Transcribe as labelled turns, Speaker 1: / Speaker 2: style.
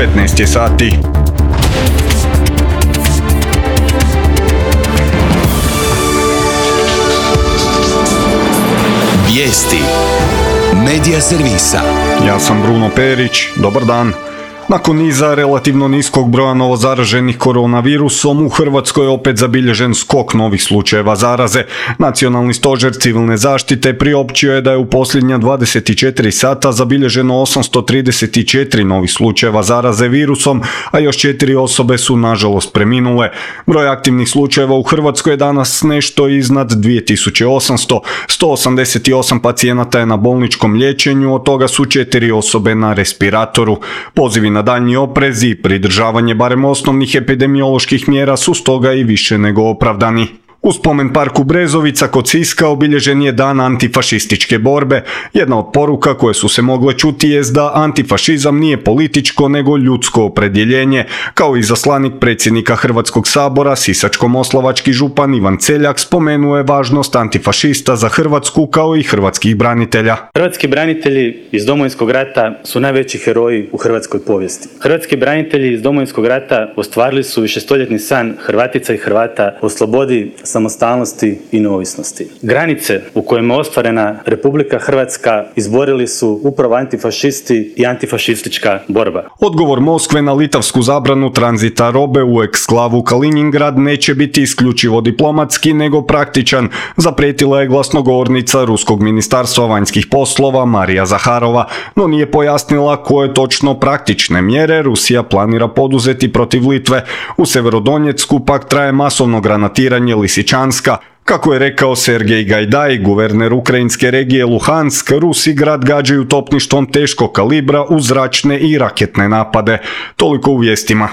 Speaker 1: 15 je sati.
Speaker 2: Vijesti Medija servisa.
Speaker 1: Ja sam Bruno Perić, dobar dan. Nakon niza relativno niskog broja novozaraženih koronavirusom, u Hrvatskoj je opet zabilježen skok novih slučajeva zaraze. Nacionalni stožer civilne zaštite priopćio je da je u posljednja 24 sata zabilježeno 834 novih slučajeva zaraze virusom, a još 4 osobe su nažalost preminule. Broj aktivnih slučajeva u Hrvatskoj je danas nešto iznad 2800, 188 pacijenata je na bolničkom liječenju, od toga su 4 osobe na respiratoru. Pozivi na daljnji oprez i pridržavanje barem osnovnih epidemioloških mjera su stoga i više nego opravdani. U spomen parku Brezovica kod Siska obilježen je dan antifašističke borbe. Jedna od poruka koje su se mogle čuti jest da antifašizam nije političko nego ljudsko opredjeljenje. Kao izaslanik predsjednika Hrvatskog sabora, sisačko-moslavački župan Ivan Celjak spomenuo je važnost antifašista za Hrvatsku kao i hrvatskih branitelja.
Speaker 3: Hrvatski branitelji iz Domovinskog rata su najveći heroji u hrvatskoj povijesti. Hrvatski branitelji iz Domovinskog rata ostvarili su višestoljetni san Hrvatica i Hrvata o slobodi, samostalnosti i neovisnosti. Granice u kojima je ostvarena Republika Hrvatska izborili su upravo antifašisti i antifašistička borba.
Speaker 1: Odgovor Moskve na litavsku zabranu tranzita robe u eksklavu Kaliningrad neće biti isključivo diplomatski nego praktičan, zaprijetila je glasnogovornica Ruskog ministarstva vanjskih poslova Marija Zaharova, no nije pojasnila koje točno praktične mjere Rusija planira poduzeti protiv Litve. U Severodonjecku pak traje masovno granatiranje Lisičanska. Kako je rekao Sergej Gajdaj, guverner ukrajinske regije Luhansk, Rusi grad gađaju topništvom teškog kalibra u zračne i raketne napade. Toliko u vijestima.